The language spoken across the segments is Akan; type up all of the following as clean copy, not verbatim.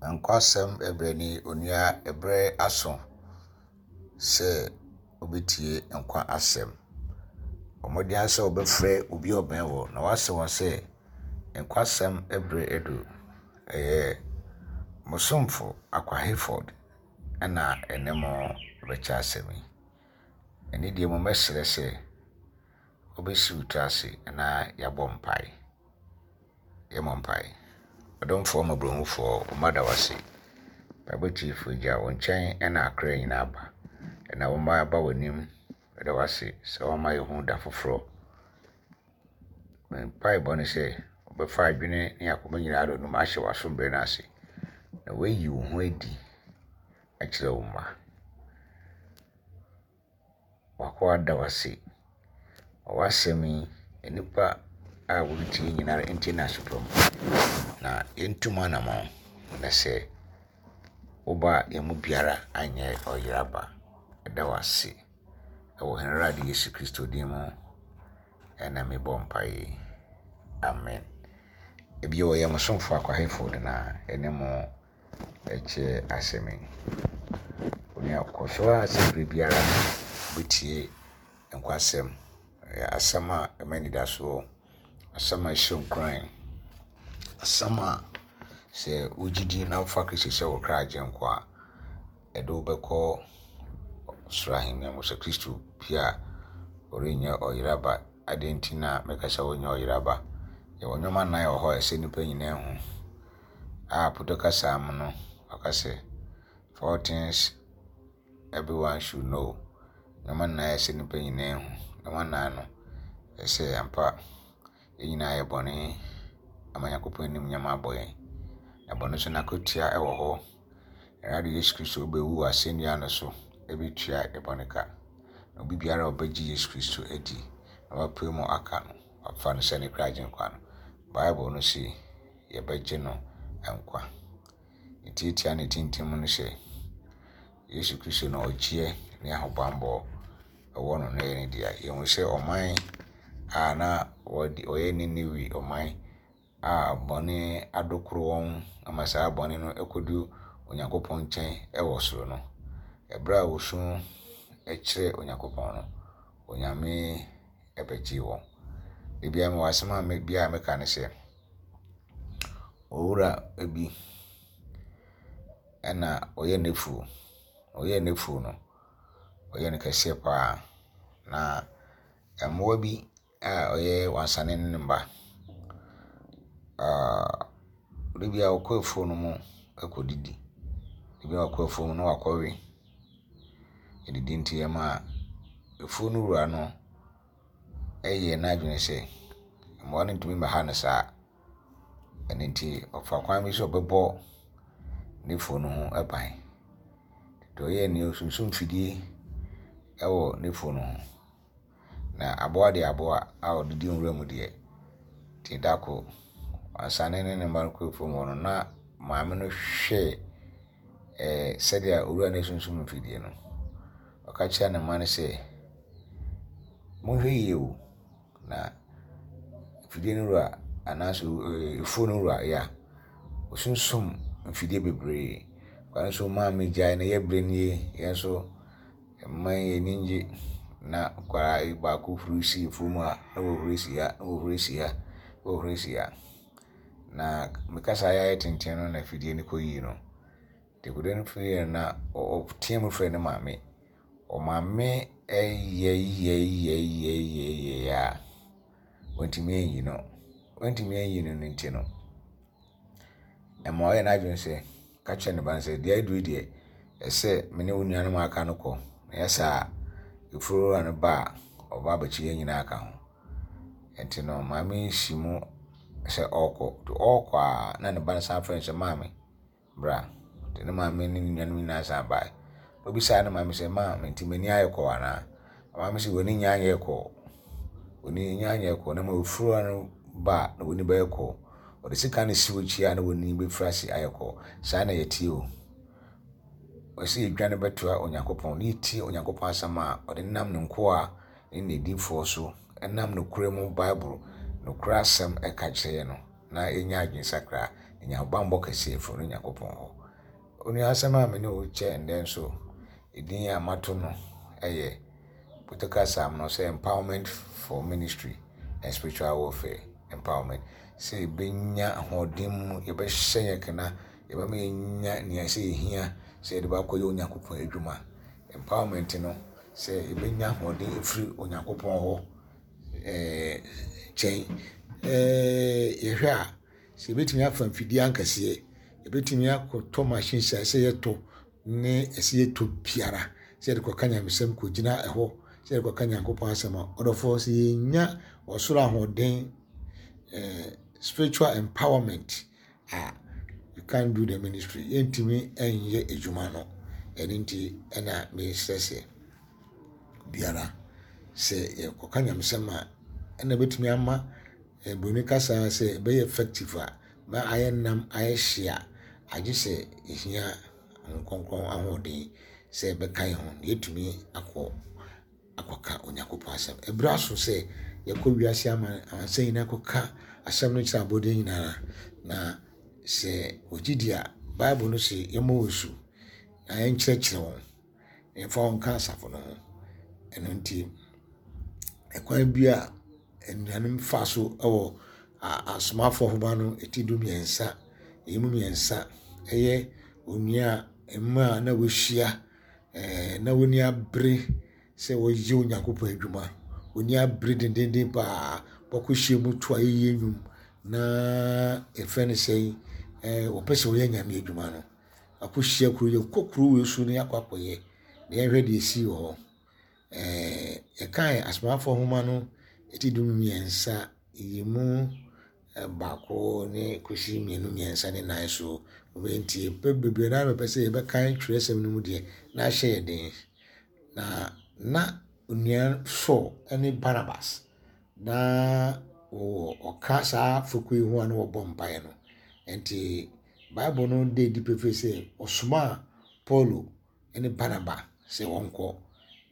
Nkwasɛm ɛbrɛ ni onua ɛbrɛ aso sɛ wobɛtie nkwa asɛm. Bɔ mmɔden ara sɛ wobɛfrɛ obi a ɔbɛn wo na woase wɔn sɛ nkwasɛm ɛbrɛ adu. Ɛyɛ mo somfo Akwa Hayford ɛna ɛne mo bɛkyɛ asɛm yi. Ɛne deɛ mo mɛsrɛ sɛ wobɛsi wo tiri ase na yɛabɔ mpae. Yɛmmɔ mpae. Ɔdomfoɔ mmɔborɔhufoɔ, wo mma da wo ase. Mpaebɔ tiefoɔ Agya, wo nkyɛn na akra nyinaa ba. Ɛna wo mma aba w'anim. Yɛda wo ase sɛ woama yɛhu da foforɔ. Me mpaebɔ ne sɛ wobɛfa adwene ne akoma nyinaa de ɔdom ahyɛ w'asomdwoeɛ no ase na woayi wo ho adi akyerɛ wo mma. W'akoa da wo ase wɔ w'asɛm yi, nnipa a wɔretie nyinaa ntie no aso pa mu, na yɛntu mu anammɔn, na sɛ woba a yɛn mu biara anyɛ ɔyera ba. Yɛda wo ase wɔ yɛn Awurade Yesu Kristo din mu ɛna mebɔ mpaeɛ yi. Amen. Ebio wɔyɛ mo somfo Akwa Hayford na ɛne mo ɛkyɛ asɛm yi. Onua kɔ so ara sɛ bere biara wobɛtie nkwasɛm. Ɛyɛ asɛm a ɛma anidasoɔ, asɛm a ɛhyɛ nkuran, asɛm a sɛ wogye di na wofa Kristo sɛ wo kra agyenkwa a, ɛde wo bɛkɔ soro ahemman mu. Sɛ Kristo pue a, ɔrenyɛ ɔyera ba. Adɛn nti na meka sɛ ɔrenyɛ ɔyera ba? Yɛwɔ nneɛma nnan wɔ hɔ a ɛsɛ nnipa nyinaa hu. A Pɔtɔ kasa mu no, wɔka sɛ, Four things everyone should know. Nneɛma nnan a ɛsɛ nnipa nyinaa hu. Nneɛma nnan no, ɛsɛ ampa yɛn nyinaa yɛ bɔne ama Nyankopɔn animuonyam abɔ yɛn. Na bɔne nso n'akatua wɔ hɔ. Awurade Yesu Kristo bɛwu wɔ asɛnnua no so bɛtua yɛn bɔne ka. Na obi biara a ɔbɛgye Yesu Kristo adi na wapue mu aka no, wafa no sɛ ne kra agyenkwa no, Bible no se yɛbɛgye no nkwa. Ne tiatia ne tintim no sɛ, Yesu Kristo na ɔgyeɛ ne ahobammɔ ɛwɔ no na ɛyɛ ne dea. Yɛhu sɛ ɔman a na wɔyɛ Niniwe ɔman a bɔne adokoro wɔn ama saa bɔne no kɔdu Onyankopɔn nkyɛn wɔ soro no, ɛberɛ a wɔsu kyerɛ Onyankopɔn no, Onyame bɛgyee wɔn. Da biara mewɔ asɛm a me biara meka ne sɛ, owura bi ɛna ɔyɛ n'afuo. Ɔyɛɛ n'afuo no, ɔyɛɛ no kɛseɛ paa. Na mmoa bi a ɔyɛ wansane ne ne mma, da biara ɔkɔ afuo no mu kɔdidi. Da biara ɔkɔ afuo no mu na wakɔwe. Adidi nti ɛma afuo no wura no yɛɛ n'adwene sɛ mmoa no ntumi mmɛha no saa. Ɛno nti, ɔfaa kwan bi so ɔbɛbɔ n'afuo no ho ban. Deɛ ɔyɛɛ nie, ɔsunsum fidie wɔ n'afuo no ho. Na aboa deɛ aboa a ɔdidi nwura mu deɛ, nti da koro, wansane ne ne mma no kɔɔ afuom hɔ no, na maame no hwɛɛ ɛɛ sɛdeɛ owura no asunsum mfidie no. Ɔka kyerɛɛ ne mma no sɛ, Monhwɛ yie o, na mfidie no wura anaasɛ afuo no wura yɛ a, ɔsunsum mfidie bebree. Ɔno nso maame gyae no yɛ berɛ nie, yɛn nso mma yɛn ani nnye. Na akwadaa yi baako huri si afuo mu ha, na wahuri si ha, na wahuri si ha, na wahuri si ha. Na me kasa ayɛ tenten no na afidie no kɔyii no. Dekode no firi na ɔteam frɛ ne maame. Ɔmaame yɛyɛyɛyɛyɛyɛ a, wantumi anyi no. Wantumi anyi no no nti no, ɛma ɔyɛ n'adwene sɛ, ka kyerɛ ne ba no sɛ, deɛ aduru yi deɛ, ɛsɛ me ne wo nuanom a aka no kɔ. Na ɛyɛ saa a, efuowura no ba a, ɔba abɛkye yɛn nyinaa aka ho. Nti no, maame yi si mu sɛ ɔrekɔ. Nti ɔrekɔ a, na ne ba no san frɛ no sɛ, maame, bra. Nti ne maame ne ne nuanom nyinaa san bae. Obisaa ne maame sɛ, maame, nti m'ani ayɛ kɔɔ anaa? Maame sɛ, w'ani nya anyɛ kɔɔ. W'ani nya anyɛ kɔɔ. Na mmom afuo no ba a, na w'ani bɛyɛ kɔɔ. Ɔde sika no si w'akyi a, na w'ani bɛfiri ase ayɛ kɔɔ. Saa na yɛteɛ o. Ɔsɛ yɛdwane bɛtoa Onyankopɔn na yɛtie Onyankopɔn asɛm a ɔde nam ne nkoa ne n'adiyifoɔ so nam nokorɛ mu Bible nokorɛ asɛm ka kyerɛ yɛn no, na yɛnya adwensakra. Nya ahobammɔ kɛseɛ firi ɔno Nyankopɔn hɔ. Onua asɛm a me ne wo kyɛ ndɛ nso, edin a mato no yɛ Political Psalm no sɛ Empowerment for Ministry and Spiritual Warfare. Empowerment. Sɛ yɛbɛnya ahoɔden mu, yɛbɛhyɛ yɛn kena, yɛbɛma yɛnya nea ɛsɛ yɛhia sɛ yɛde bɛakɔyɛ Onyankopɔn adwuma. Empowerment no, sɛ yɛbɛnya ahoɔden afiri Onyankopɔn hɔ ɛɛ kyɛn. Ɛɛ yɛhwɛ a, sɛ yɛbɛtumi afa mfidie ankɛseɛ, yɛbɛtumi akɔtɔ machines a ɛsɛ yɛtɔ ne ɛsɛ yɛtɔ biara sɛ yɛde kɔka nyamesɛm kɔgyina ɛhɔ sɛ yɛde kɔka Nyankopɔn asɛm a, ɔdɔfoɔ sɛ yɛnya ɔsoro ahoɔden eh, spiritual empowerment a, you can't do the ministry. Yɛntumi nyɛ adwuma no. Ɛno nti ɛna mesrɛ sɛ biara sɛ yɛkɔka nyamesɛm a ɛna ɛbɛtumi ama eh, buroni kasa sɛ ɛbɛyɛ effective a na ayɛ nam ayɛ hye a agye sɛ ɛhia Honhom Kronkron ahoɔden sɛ ɛbɛka yɛn ho na yɛatumi akɔ akɔka Onyankopɔn asɛm. Ɛberɛ aso sɛ yɛkɔ wiase ama amansan nyinaa kɔka asɛm no kyerɛ abɔdeɛ nyinaa. Na sɛ wɔgye di a, Bible no se yɛmmɔ wɔn asu na yɛnkyerɛkyerɛ wɔn na yɛmfa wɔn nka asafo no ho. Ɛno nti, ɛkwan bi a anuanom fa so wɔ asomafoɔ nhoma no ti 13, ɛyi mu mmiɛnsa ɛyɛ onua mmaa a na wɔahyia ɛɛ na wɔn ani abere sɛ wɔreyɛ Onyankopɔn adwuma. Wɔn ani abere dendeenden paa. Wɔakɔhyia mu to ayɛyie nnwom na yɛfrɛ no sɛn ɛɛ wɔpɛ sɛ wɔyɛ Nyame adwuma no. Wɔakɔhyia kuro yɛkɔ kuro wei so na yɛakɔ akɔyɛ na yɛnhwɛ deɛ ɛsii wɔ hɔ. Ɛɛ yɛkae Asomafoɔ nwoma no ti 13 yi mu baako ne kɔsi mmienu, mmiɛnsa ne nnan so. Nti bebree no ara bɛpɛ sɛ yɛbɛkan twerɛsɛm no mu deɛ na ahyɛ yɛn den. Na na onua Saul ne Barnabas na wɔwɔ ɔka saa fekuo yi ho a na wɔbɔ mpaeɛ no. Nti Bible no da adi pefee sɛ ɔsomaa Paulo ne Barnaba sɛ wɔnkɔ,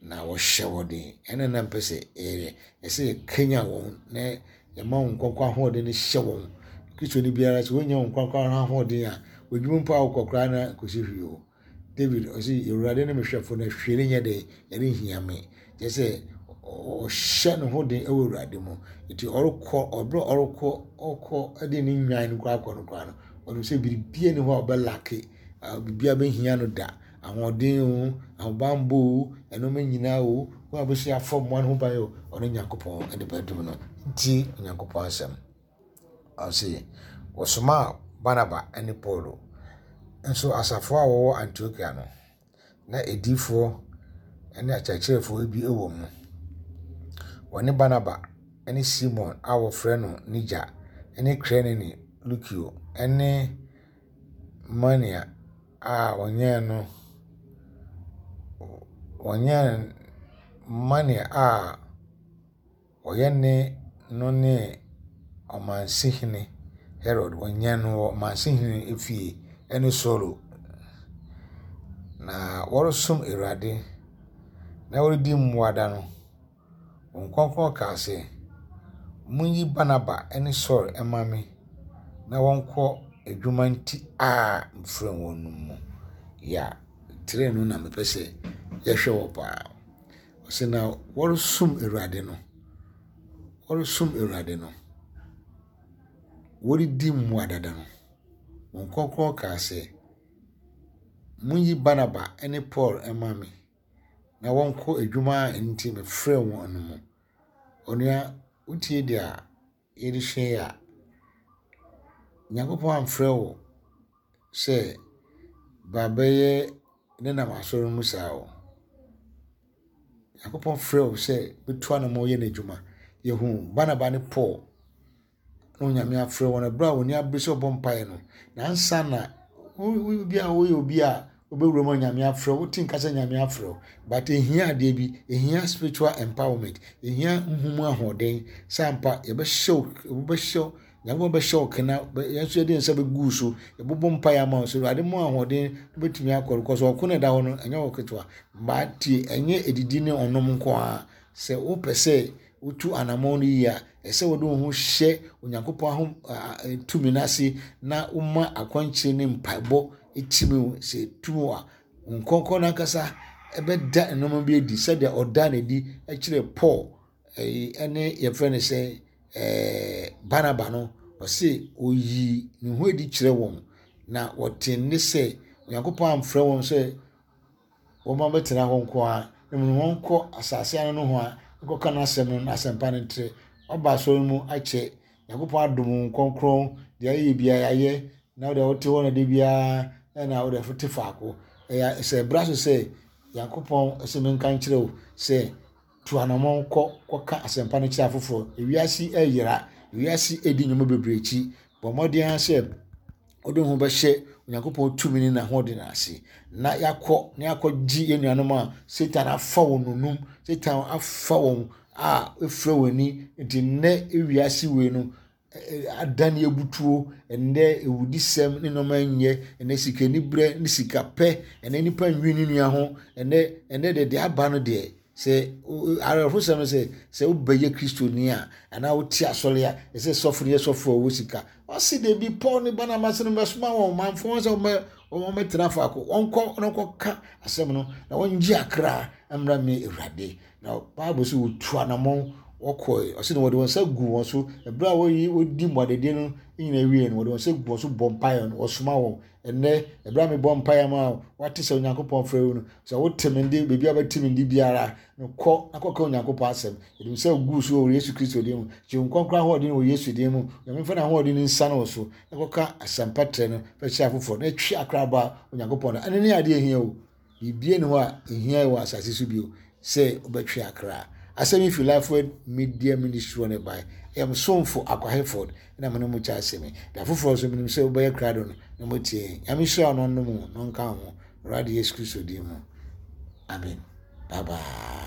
na wɔhyɛ wɔn den. Ɛna na mpɛ sɛ yɛyɛ. Ɛsɛ yɛkanyan wɔn na yɛma wɔn nkonkron ahoɔden no hyɛ wɔn. Kristoni biara sɛ wonya wɔn nkonkron ahoɔden a, w'adwuma mpo a wokɔ koraa na kɔsi hwee o. David ɔsi Awurade ne me hwɛfo na hwee renyɛ dɛn ɛrenhia me. Kyerɛ sɛ ɔhyɛ ne ho den wɔ Awurade mu. Nti ɔrekɔ ɔbrɛ ɔrekɔ ɔkɔ de ne nnwan no koraa kɔ no koraa no ɔnim sɛ biribiara ni hɔ a ɔbɛlake biribiara bɛhia no da. Ahoɔden o, ahobammɔ o, nneɛma nyinaa o, wɔn a wɔbɛsi afɔ mmoa no ho ban o, ɔno Nyankopɔn de bɛdom no. Nti Onyankopɔn asɛm. Ɔse, wɔsomaa Barnaba ne Paulo. Nso asafo a wɔwɔ Antiokia no, na adiyifoɔ ne akyerɛkyerɛfoɔ bi wɔ mu. Wɔne Barnaba ne Simon a wɔfrɛ no Niger ne Kireneni Lukio ne Mania a wɔnyɛn no wɔnyɛn Mania a wɔyɛne no ne ɔmansehene Herod wɔnyɛn no wɔ ɔmansehene fie ne Saulo. Na wɔresom Awurade na wɔredi mmuada no, Honhom Kronkron kaa sɛ, Monyi Barnaba ne Saul mma me na wɔnkɔ adwuma nti a mefrɛɛ wɔn no mu. Ya, tire no na mepɛ sɛ yɛhwɛ wɔ paa. Ɔsɛ na wɔresom Awurade no, wɔresom Awurade no, wɔredi mmuadada no, Honhom Kronkron kaa sɛ, Monyi Barnaba ne Paul mma me na wɔnkɔ adwuma a enti mefrɛɛ wɔn no mu. Onua, wotie deɛ a yɛresua yi a, Nyankopɔn amfrɛ wo sɛ ba bɛyɛ ne nam asɔre mu saa o. Nyankopɔn frɛ wo sɛ bɛtu anamɔ yɛ n'adwuma. Yɛhu Barnaba ne Paul na Onyame afrɛ wɔn ɛberɛ a wɔn ani abere sɛ wɔbɔ mpaeɛ no. Na ansa na wo bi a woyɛ obi a wobɛwura mu a Nyame afrɛ wo, wote nka sɛ Nyame afrɛ wo, but ɛhia adeɛ bi, ɛhia spiritual empowerment, ɛhia nhumu ahoɔden sɛ ampa yɛbɛhyɛ wo, wobɛhyɛ wo, Nyankopɔn bɛhyɛ wo kena, yɛn nso yɛde nsa bɛgu wo so, yɛbɛbɔ mpaeɛ ama wo sɛ Awurade mu ahoɔden wobɛtumi akɔ, because ɔko na ɛda hɔ no, ɛnyɛ wo ketewa. But tie, ɛnyɛ ɛdidi ne ɔnom nko ara, sɛ wopɛ sɛ wotu anammɔn no yie a, ɛsɛ sɛ wode wo ho hyɛ Onyankopɔn ahom tumi no ase na woma akwankyerɛ ne mpaebɔ tumi wo. Sɛ ɛtumi wo a, Honhom Kronkron no ankasa bɛda nneɛma bi adi sɛdeɛ ɔdaa no adi kyerɛɛ Paul ɛyi ɛne yɛfrɛ no sɛ ɛɛ Barnaba no. Ɔse ɔyii ne ho adi kyerɛ wɔn na wɔte nne sɛ Onyankopɔn amfrɛ wɔn sɛ wɔmmɛtena hɔ nko ara, na mmom wɔnkɔ asase ano nohoa nkɔka n'asɛm no, n'asɛmpa no ntrɛ. Woaba asɔre no mu akyɛ, Nyankopɔn adom wo nkɔnkrɔn, deɛ ayɛ biara yɛayɛ, na wodeɛ wote hɔ na da biara na wodeɛ wote faako. Ɛyɛ sɛ ɛbra so sɛ Nyankopɔn sɛ menka nkyerɛ wo sɛ tu anamɔn kɔ kɔka asɛmpa no kyerɛ afoforɔ. Ewiase ɛyera, ewiase ɛdi nneɛma bebree akyi. Bɔ mmɔden ara sɛ wode wo ho bɛhyɛ Onyankopɔn tumi ne n'ahoɔden ase na yɛakɔ na yɛakɔgye yɛn nuanom a Satan afa wɔn nonum, Satan afa wɔn a efura wɔn ani. Nti nnɛ ewiase wei no adane abutuo, ɛnnɛ awudisɛm ne nneɛma nyɛ, ɛnnɛ sikaniberɛ ne sikapɛ, ɛnnɛ nipa nwi ne nua ho, ɛnnɛ ɛnnɛ deɛ deɛ aba no deɛ Sɛ awerɛhosɛm no sɛ sɛ wobɛyɛ Kristoni a anaa wote asɔre a ɛsɛ sɔfo no yɛ sɔfo a ɔwɔ sika. Ɔse dabi Paul ne Barnabas no mɛsoma wɔn manfo wɔn sɛ wɔn wɔmmɛtena faako wɔnkɔ na wɔnkɔka asɛm no na wɔngye akra mmra me Awurade. Na Bible sɛ wɔtu anamɔn wɔkɔe ɔse na wɔde wɔn nsa gu wɔn so ɛberɛ a wɔyi wɔdi mmuadadie no nyinaa wie no wɔde wɔn nsa gu wɔn so bɔ mpaeɛ no wɔsoma wɔn. Ɛnnɛ, ɛberɛ a mebɔ mpaeɛ ama wo, woate sɛ Onyankopɔn frɛ wo no, sɛ wote me nde, baabi a wobɛte me nde biara no, kɔ na kɔka Onyankopɔn asɛm. Yɛde wo nsa gu so wɔ Yesu Kristo din mu. Gye wo nkɔnkɔn ahoɔden wɔ Yesu din mu. Onyame mfa n'ahoɔden no nsiane wo so na kɔka asɛmpa trɛ no fa kyerɛ afoforɔ na twe akra ba Onyankopɔn no. Ɛno ne adeɛ a ɛhia o. Biribiara nni hɔ a ehia wɔ asase so bio sɛ wobɛtwe akra. Asɛm yi fi Lifeword Media Ministry hɔ na ɛbae. Ɛyɛ me somfo Akwa Hayford na me ne mo kyɛ asɛm yi. Da foforɔ nso, menim sɛ wobɛyɛ krado no na moatie yɛn. Nyame nhyira wo na ɔnnom wo na ɔnka wo ho. Awurade Yesu Kristo din mu. Amen. Bye bye.